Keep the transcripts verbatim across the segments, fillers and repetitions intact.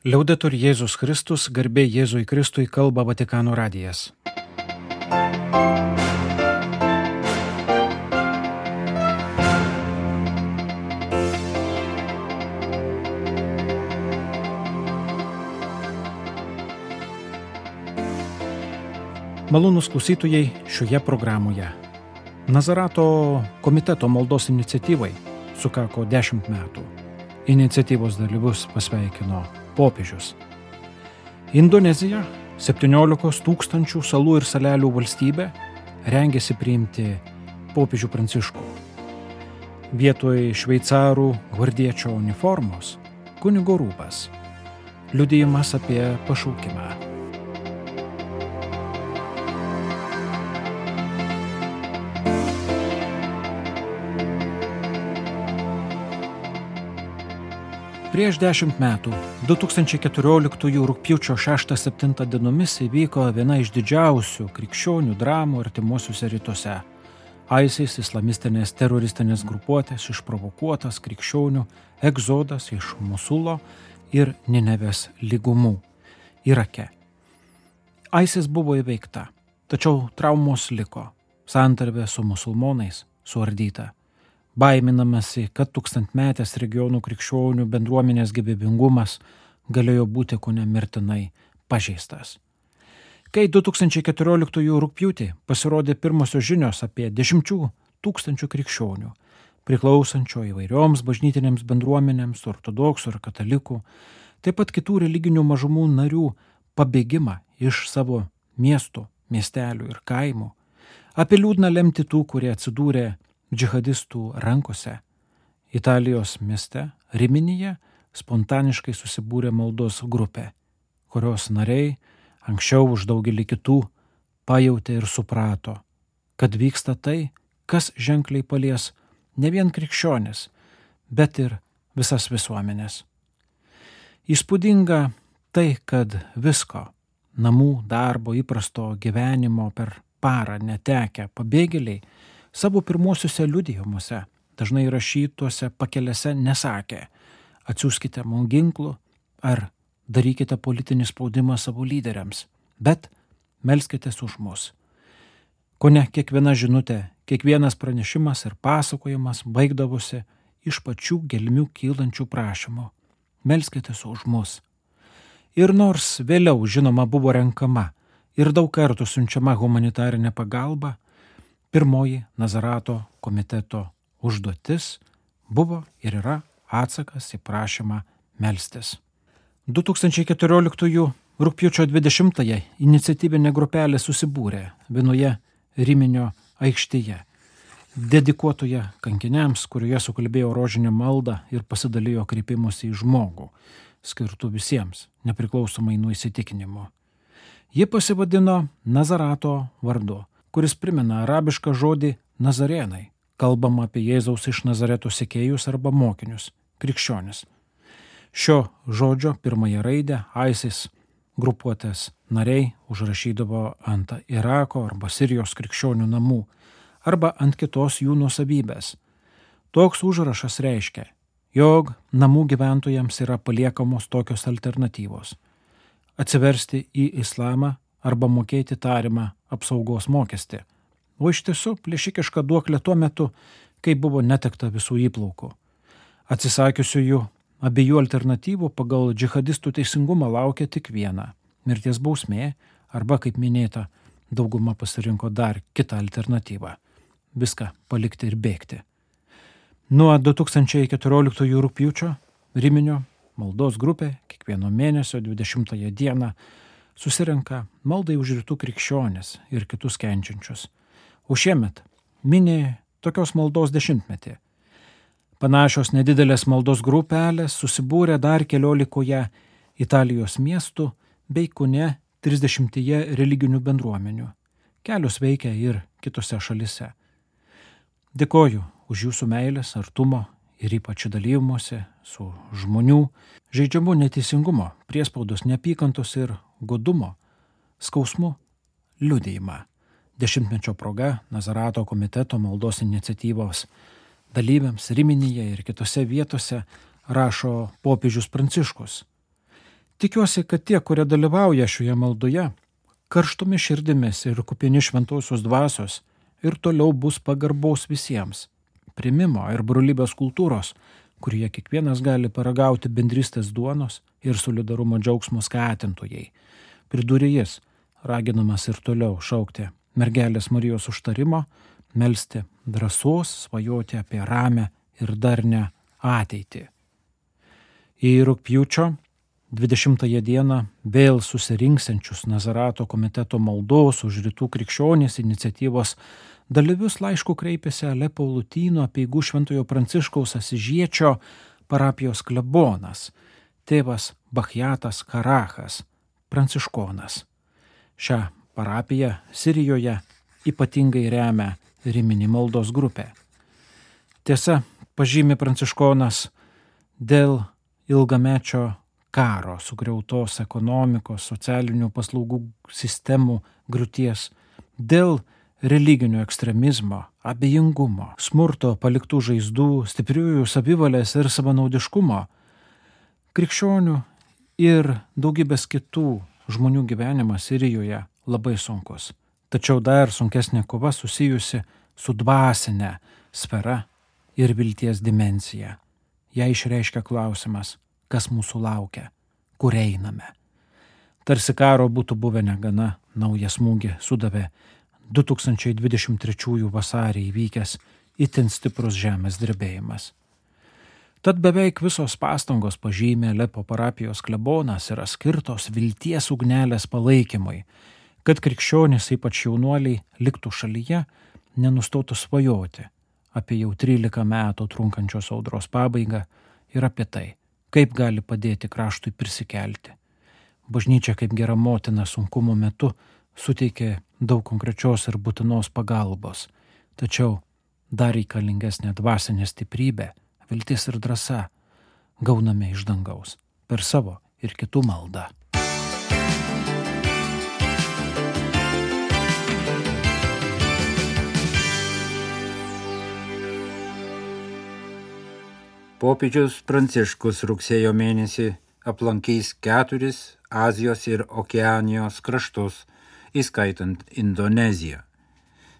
Liaudetur Jėzus Kristus, garbė Jėzui Kristui, kalba Vatikano radijas. Malonūs klausytojai šioje programoje. Nazarato komiteto maldos iniciatyvai sukako dešimt metų. Iniciatyvos dalyvius pasveikino popiežius. Indonezija, septyniolikos tūkstančių salų ir salelių valstybė, rengėsi priimti popiežių Pranciškų. Vietoj šveicarų gvardiečio uniformos kunigo rūbas, liudijimas apie pašaukimą. Prieš dešimt metų, du tūkstančiai keturioliktųjų rugpjūčio šeštą septintą dienomis įvyko viena iš didžiausių krikščionių dramų artimuosiuose rytuose. ISIS islamistinės teroristinės grupuotės išprovokuotas krikščionių egzodas iš Mosulo ir Ninevės lygumų Irake. ISIS buvo įveikta, tačiau traumos liko, santarvė su musulmonais suardyta. Baiminamasi, kad tūkstantmetės regionų krikščionių bendruomenės gyvybingumas galėjo būti kone mirtinai pažeistas. Kai du tūkstančiai keturioliktųjų rugpjūtį pasirodė pirmosios žinios apie dešimčių tūkstančių krikščionių, priklausančio įvairioms bažnytinėms bendruomenėms, ortodoksų ir katalikų, taip pat kitų religinių mažumų narių pabėgimą iš savo miestų, miestelių ir kaimų, apie liūdną lemtį tų, kurie atsidūrė džihadistų rankose, Italijos mieste Riminyje spontaniškai susibūrė maldos grupė, kurios nariai anksčiau už daugelį kitų pajautė ir suprato, kad vyksta tai, kas ženkliai palies ne vien krikščionis, bet ir visas visuomenės. Įspūdinga tai, kad visko, namų, darbo, įprasto gyvenimo per parą netekę pabėgėliai savo pirmuosiuose liudijimuose, dažnai rašytuose pakelėse nesakė, atsiųskite mums ginklų ar darykite politinį spaudimą savo lyderiams, bet melskitės už mus. Kone kiekviena žinutė, kiekvienas pranešimas ir pasakojimas baigdavosi iš pačių gelmių kylančių prašymų. Melskitės už mus. Ir nors vėliau, žinoma, buvo renkama ir daug kartų siunčiama humanitarinė pagalba, pirmoji Nazarato komiteto užduotis buvo ir yra atsakas į prašymą melstis. du tūkstančiai keturioliktųjų rugpjūčio dvidešimtąją iniciatyvinė grupelė susibūrė vienoje Riminio aikštėje, dedikuotoje kankiniams, kurioje sukalbėjo rožinę maldą ir pasidalijo kreipimusi į žmogų, skirtų visiems, nepriklausomai nuo įsitikinimo. Ji pasivadino Nazarato vardu, kuris primena arabišką žodį Nazarėnai, kalbama apie Jėzaus iš Nazareto sekėjus arba mokinius, krikščionis. Šio žodžio pirmąją raidę ISIS grupuotės nariai užrašydavo ant Irako arba Sirijos krikščionių namų arba ant kitos jų nuosavybės. Toks užrašas reiškia, jog namų gyventojams yra paliekamos tokios alternatyvos: atsiversti į islamą arba mokėti tarimą apsaugos mokestį, o iš tiesų plėšikiška duoklė tuo metu, kai buvo netekta visų įplaukų. Atsisakiusiųjų abiejų alternatyvų pagal džihadistų teisingumą laukia tik viena – mirties bausmė arba, kaip minėta, dauguma pasirinko dar kitą alternatyvą – viską palikti ir bėgti. Nuo du tūkstančiai keturioliktųjų rugpjūčio Riminio maldos grupė kiekvieno mėnesio dvidešimtąją dieną susirenka maldai už rytų krikščionis ir kitus kenčiančius. O šiemet mini tokios maldos dešimtmetį. Panašios nedidelės maldos grupelės susibūrė dar keliolikoje Italijos miestų bei kone trisdešimtyje religinių bendruomenių. Kelios veikia ir kitose šalise. Dėkoju už jūsų meilės, artumo ir ypač dalymosi su žmonių žaidžiamų neteisingumo, priespaudos, neapykantos ir godumo, skausmu liudijimą. Dešimtmečio proga Nazarato komiteto maldos iniciatyvos dalyviams Riminyje ir kitose vietose rašo popiežius Pranciškus. Tikiuosi, kad tie, kurie dalyvauja šioje maldoje, karštomis širdimis ir kupini šventosios dvasios ir toliau bus pagarbos visiems, primimo ir brolybės kultūros, kurie kiekvienas gali paragauti bendrystės duonos ir solidarumo džiaugsmo skatintojai. Pridūrė jis, raginamas ir toliau šaukti mergelės Marijos užtarimo, melsti drąsos, svajoti apie ramę ir darnią ateitį. Į rugpjūčio dvidešimtąją dieną vėl susirinksiančius Nazarato komiteto maldos už rytų krikščionys iniciatyvos dalyvius laišku kreipėsi Alepo Lotynų apeigų Šventojo Pranciškaus Asižiečio parapijos klebonas, tėvas Bachjatas Karachas, pranciškonas. Šią parapiją Sirijoje ypatingai remia Riminį maldos grupė. Tiesa, pažymi pranciškonas, dėl ilgamečio karo, sugriautos ekonomikos, socialinių paslaugų sistemų griūties, dėl religinio ekstremizmo, abejingumo, smurto paliktų žaizdų, stipriųjų savivalės ir savanaudiškumo, krikščionių ir daugybės kitų žmonių gyvenimas Sirijoje labai sunkus. Tačiau dar sunkesnė kova susijusi su dvasinė sfera ir vilties dimensija. Ją išreiškia klausimas, kas mūsų laukia, kur einame. Tarsi karo būtų buvę negana, naują smūgį sudavė du tūkstančiai dvidešimt trečiųjų vasarį įvykęs itin stiprus žemės drebėjimas. Tad beveik visos pastangos, pažymė Alepo parapijos klebonas, yra skirtos vilties ugnelės palaikymui, kad krikščionys, ypač jaunuoliai, liktų šalyje, nenustotų svajoti apie jau trylika metų trunkančios audros pabaigą ir apie tai, kaip gali padėti kraštui prisikelti. Bažnyčia kaip gera motina sunkumo metu suteikė daug konkrečios ir būtinos pagalbos, tačiau dar reikalingesnė dvasinė stiprybė, viltis ir drąsa gauname iš dangaus per savo ir kitų maldą. Popiežius Pranciškus rugsėjo mėnesį aplankys keturis Azijos ir Okeanijos kraštus, įskaitant Indoneziją.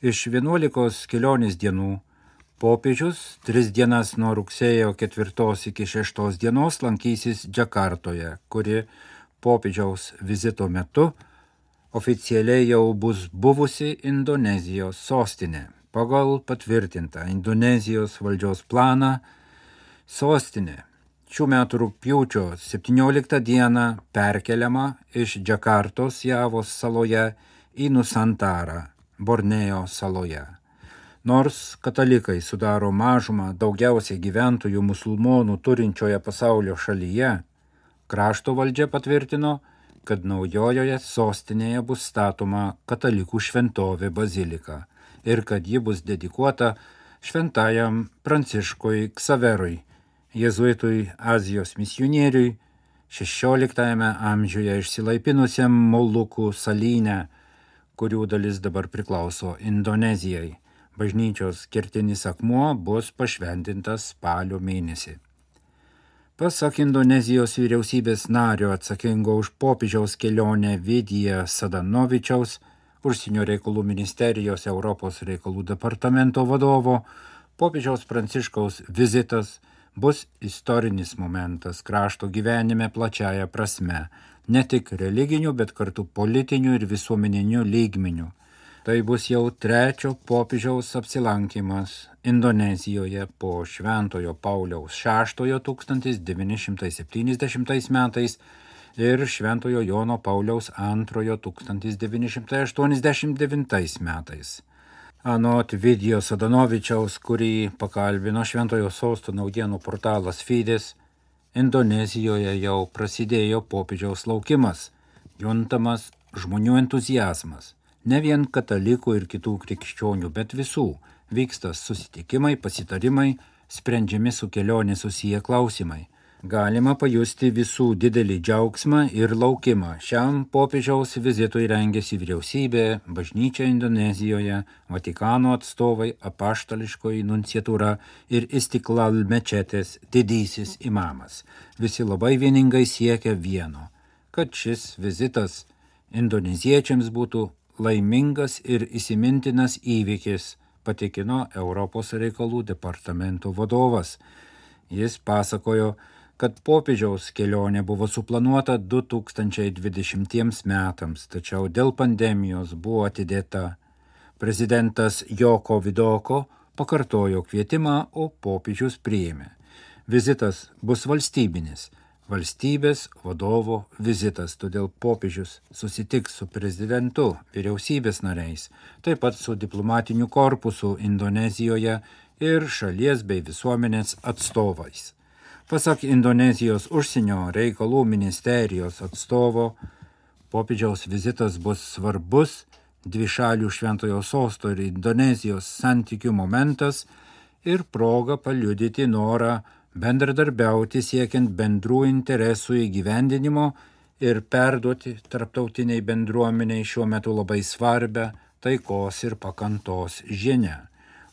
Iš vienuolikos kelionės dienų popiežius tris dienas nuo rugsėjo ketvirtos iki šeštos dienos lankysis Džakartoje, kuri popiežiaus vizito metu oficialiai jau bus buvusi Indonezijos sostinė. Pagal patvirtintą Indonezijos valdžios planą sostinė šių metų rugpjūčio septynioliktą dieną perkeliama iš Džakartos Javos saloje į Nusantarą, Borneo saloje. Nors katalikai sudaro mažumą daugiausiai gyventojų musulmonų turinčioje pasaulio šalyje, krašto valdžia patvirtino, kad naujojoje sostinėje bus statoma katalikų šventovė bazilika ir kad ji bus dedikuota šventajam Pranciškui Ksaverui, jėzuitui Azijos misionieriui, šešioliktajame amžiuje išsilaipinusiam Molukų salyne, kurių dalis dabar priklauso Indonezijai. Bažnyčios kertinis akmuo bus pašventintas spalio mėnesį. Pasak Indonezijos vyriausybės nario atsakingo už popiežiaus kelionę Vidija Sadanovičiaus, užsienio reikalų ministerijos Europos reikalų departamento vadovo, popiežiaus Pranciškaus vizitas bus istorinis momentas krašto gyvenime plačiaja prasme, ne tik religiniu, bet kartu politiniu ir visuomeniniu lygmeniu. Tai bus jau trečio popiežiaus apsilankymas Indonezijoje po Šventojo Pauliaus šeštojo tūkstantis devyni šimtai septyniasdešimtais metais ir Šventojo Jono Pauliaus antrojo tūkstantis devyni šimtai aštuoniasdešimt devintais metais. Anot Vidijo Sadanovičiaus, kurį pakalbino Šventojo Sosto naujienų portalas Fides, Indonezijoje jau prasidėjo popiežiaus laukimas, juntamas žmonių entuziazmas. Ne vien katalikų ir kitų krikščionių, bet visų vyksta susitikimai, pasitarimai, sprendžiami su kelionė susiję klausimai. Galima pajusti visų didelį džiaugsmą ir laukimą. Šiam popiežiaus vizitui rengėsi vyriausybė, bažnyčia Indonezijoje, Vatikano atstovai, apaštališkoji nunciatūra ir Istiklal mečetės didysis imamas. Visi labai vieningai siekia vieno kad šis vizitas indoneziečiams būtų laimingas ir įsimintinas įvykis, patikino Europos reikalų departamento vadovas. Jis pasakojo, kad popiežiaus kelionė buvo suplanuota du tūkstančiai dvidešimtiems metams, tačiau dėl pandemijos buvo atidėta. Prezidentas Joko Vidoko pakartojo kvietimą, o popiežius priėmė. Vizitas bus valstybinis, valstybės vadovo vizitas, todėl popiežius susitiks su prezidentu, vyriausybės nariais, taip pat su diplomatiniu korpusu Indonezijoje ir šalies bei visuomenės atstovais. Pasak Indonezijos užsienio reikalų ministerijos atstovo, popiežiaus vizitas bus svarbus dvišalių Šventojo sosto ir Indonezijos santykių momentas ir proga paliudyti norą bendradarbiauti siekiant bendrų interesų įgyvendinimo ir perduoti tarptautiniai bendruomeniai šiuo metu labai svarbę taikos ir pakantos žinią.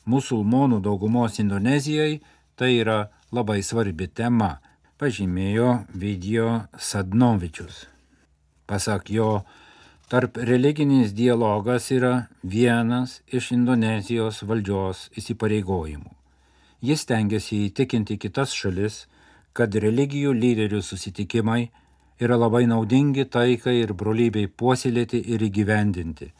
Musulmonų daugumos Indonezijai tai yra labai svarbi tema, pažymėjo Video Sadnovičius. Pasak jo, tarp religinis dialogas yra vienas iš Indonezijos valdžios įsipareigojimų. Jis stengiasi įtikinti kitas šalis, kad religijų lyderių susitikimai yra labai naudingi taikai ir brolybei puoselėti ir įgyvendinti.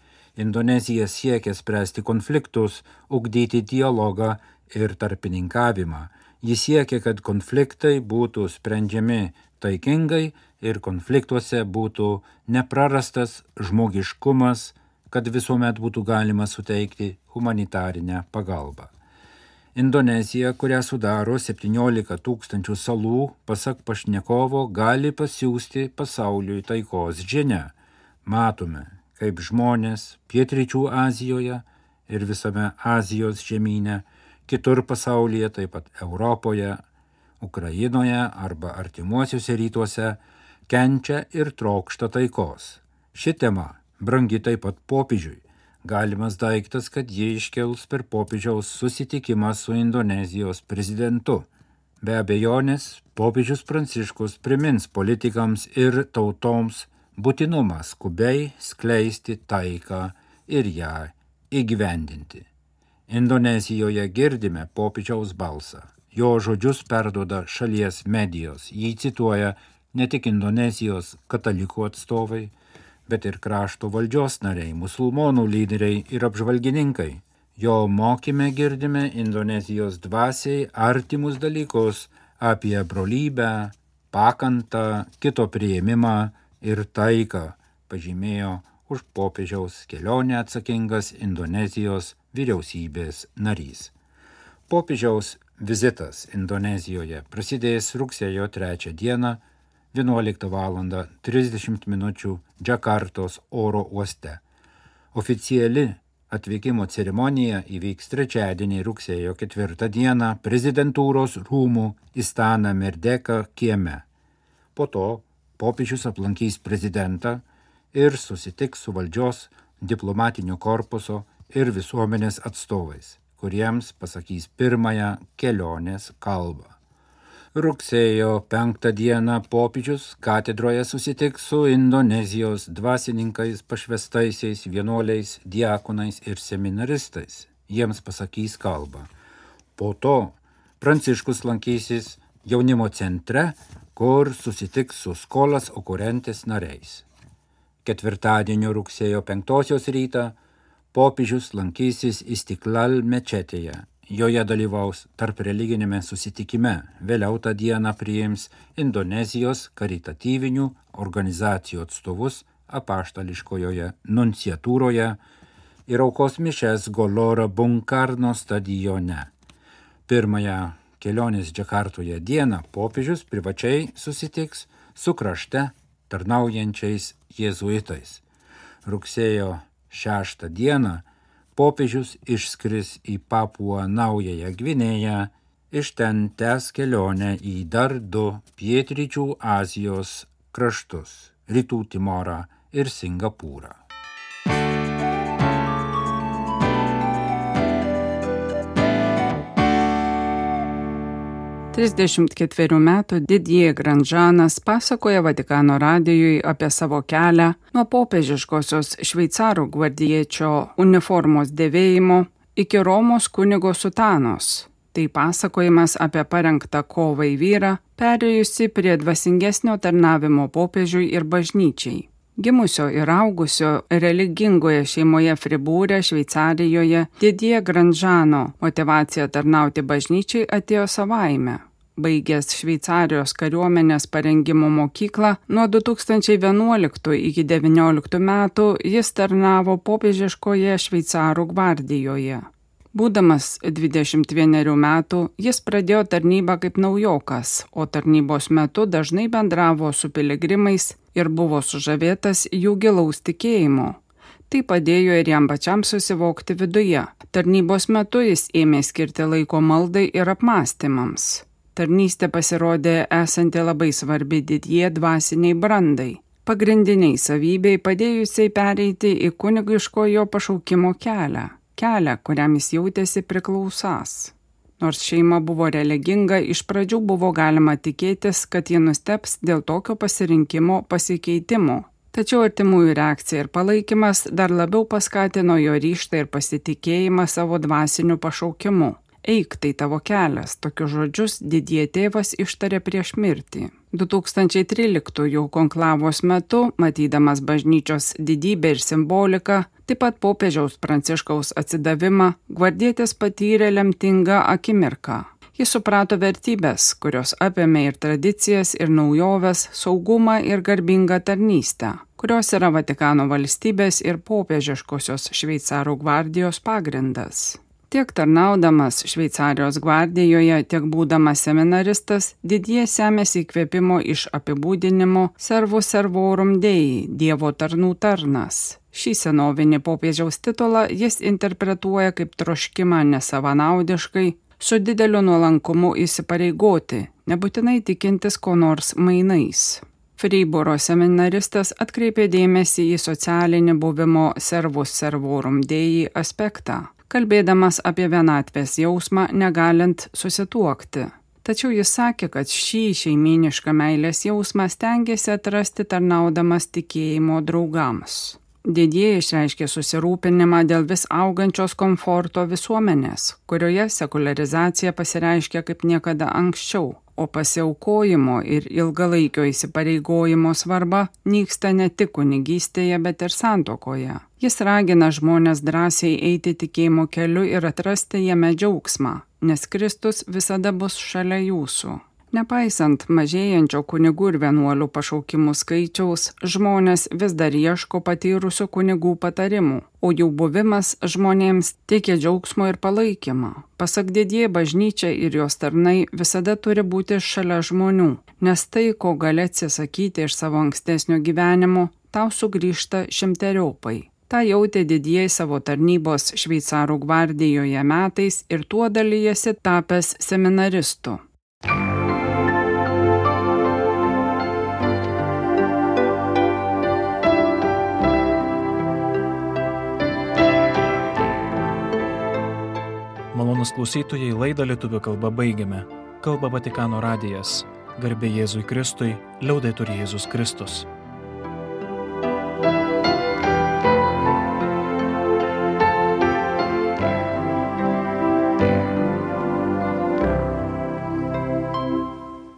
Indonezija siekia spręsti konfliktus, ugdyti dialogą ir tarpininkavimą. Jis siekia, kad konfliktai būtų sprendžiami taikingai ir konfliktuose būtų neprarastas žmogiškumas, kad visuomet būtų galima suteikti humanitarinę pagalbą. Indonezija, kurią sudaro septyniolika tūkstančių salų, pasak pašnekovo, gali pasiųsti pasauliui taikos žinią. Matome, kaip žmonės pietryčių Azijoje ir visame Azijos žemyne, kitur pasaulyje, taip pat Europoje, Ukrainoje arba artimuosiuose rytuose, kenčia ir trokšta taikos. Ši tema brangi taip pat popiežiui. Galimas daiktas, kad jie iškels per popiežiaus susitikimą su Indonezijos prezidentu. Be abejonės, popiežius Pranciškus primins politikams ir tautoms būtinumą skubiai skleisti taiką ir ją įgyvendinti. Indonezijoje girdime popiežiaus balsą. Jo žodžius perduoda šalies medijos. Jį cituoja ne tik Indonezijos katalikų atstovai, bet ir krašto valdžios nariai, musulmonų lyderiai ir apžvalgininkai. Jo mokyme girdime Indonezijos dvasiai artimus dalykus apie brolybę, pakantą, kito priėmimą ir taiką, pažymėjo už popiežiaus kelionę atsakingas Indonezijos vyriausybės narys. Popiežiaus vizitas Indonezijoje prasidės rugsėjo trečią dieną vienuoliktą valandą trisdešimt minučių Džakartos oro uoste. Oficiali atvykimo ceremonija įvyks trečiadienį rugsėjo ketvirtą dieną prezidentūros rūmų Istana Merdeka kieme. Po to popiežius aplankys prezidentą ir susitiks su valdžios, diplomatinio korpuso ir visuomenės atstovais, kuriems pasakys pirmąją kelionės kalbą. Rugsėjo penktą dieną popiežius katedroje susitiks su Indonezijos dvasininkais, pašvestaisiais, vienuoliais, diakonais ir seminaristais. Jiems pasakys kalbą. Po to Pranciškus lankysis jaunimo centre, kur susitiks su Skolas Okurentes nariais. Ketvirtadienio rugsėjo penktosios rytą popiežius lankysis Istiklal mečetėje. Joje dalyvaus tarp religinėme susitikime. Vėliau tą dieną priims Indonezijos karitatyvinių organizacijų atstovus apaštališkojoje nunciatūroje ir aukos mišias Golora Bung Karno stadione. Pirmąją kelionės Džakartoje dieną popiežius privačiai susitiks su krašte tarnaujančiais jėzuitais. Rugsėjo šeštą dieną popiežius išskris į Papuą Naująją Gvinėją, iš ten tęs kelionę į dar du pietryčių Azijos kraštus – Rytų Timorą ir Singapūrą. trisdešimt ketverių metų Didier Grandjeanas pasakoja Vatikano radijui apie savo kelią nuo popiežiškosios šveicarų gvardiečio uniformos dėvėjimo iki Romos kunigo sutanos. Tai pasakojimas apie parengtą kovai vyrą, perėjusi prie dvasingesnio tarnavimo popiežiui ir bažnyčiai. Gimusio ir augusio religingoje šeimoje Fribūre, Šveicarijoje, Didier Grandjeano motyvacija tarnauti bažnyčiai atėjo savaime. Baigęs Šveicarijos kariuomenės parengimo mokyklą, nuo du tūkstančiai vienuoliktų iki devynioliktų metų jis tarnavo popiežiškoje Šveicarų gvardijoje. Būdamas dvidešimt vienerių metų, jis pradėjo tarnybą kaip naujokas, o tarnybos metu dažnai bendravo su piligrimais ir buvo sužavėtas jų gilaus tikėjimo. Tai padėjo ir jam pačiam susivokti viduje. Tarnybos metu jis ėmė skirti laiko maldai ir apmąstymams. Tarnystė pasirodė esanti labai svarbi Didier dvasiniai brandai, pagrindiniai savybei padėjusiai pereiti į kunigiškojo pašaukimo kelią. Kelią, kuriam jis jautėsi priklausas. Nors šeima buvo religinga, iš pradžių buvo galima tikėtis, kad ji nusteps dėl tokio pasirinkimo pasikeitimo. Tačiau artimųjų reakcija ir palaikymas dar labiau paskatino jo ryžtą ir pasitikėjimą savo dvasiniu pašaukimu. Eik, tai tavo kelias, tokius žodžius Didier tėvas ištarė prieš mirtį. du tūkstančiai tryliktųjų konklavos metu, matydamas bažnyčios didybę ir simboliką, taip pat popiežiaus Pranciškaus atsidavimą, gvardietis patyrė lemtingą akimirką. Jis suprato vertybės, kurios apėmė ir tradicijas, ir naujoves, saugumą ir garbingą tarnystę, kurios yra Vatikano valstybės ir popiežiškosios Šveicarų gvardijos pagrindas. Tiek tarnaudamas Šveicarijos gvardijoje, tiek būdamas seminaristas, Didier semėsi įkvėpimo iš apibūdinimo Servus Servorum Dei, Dievo tarnų tarnas. Šį senovinį popiežiaus titulą jis interpretuoja kaip troškimą nesavanaudiškai, su dideliu nuolankumu įsipareigoti, nebūtinai tikintis ko nors mainais. Fribūro seminaristas atkreipė dėmesį į socialinį buvimo Servus Servorum Dei aspektą, kalbėdamas apie vienatvės jausmą negalint susituokti. Tačiau jis sakė, kad šį šeimynišką meilės jausmą stengiasi atrasti tarnaudamas tikėjimo draugams. Didier išreiškė susirūpinimą dėl vis augančios komforto visuomenės, kurioje sekularizacija pasireiškia kaip niekada anksčiau, o pasiaukojimo ir ilgalaikio įsipareigojimo svarba nyksta ne tik kunigystėje, bet ir santuokoje. Jis ragina žmones drąsiai eiti tikėjimo keliu ir atrasti jame džiaugsmą, nes Kristus visada bus šalia jūsų. Nepaisant mažėjančio kunigų ir vienuolių pašaukimų skaičiaus, žmonės vis dar ieško patyrusių kunigų patarimų, o jų buvimas žmonėms teikia džiaugsmo ir palaikymą. Pasak Didier, bažnyčia ir jos tarnai visada turi būti šalia žmonių, nes tai, ko gali atsisakyti iš savo ankstesnio gyvenimo, tau sugrįžta šimteriopai. Ta jautė Didier savo tarnybos Šveicarų gvardijoje metais ir tuo dalyjasi tapęs seminaristu. Malonūs klausytojai, laidą lietuvių kalba baigiame. Kalba Vatikano radijas. Garbė Jėzui Kristui, liaudetur Jėzus Kristus.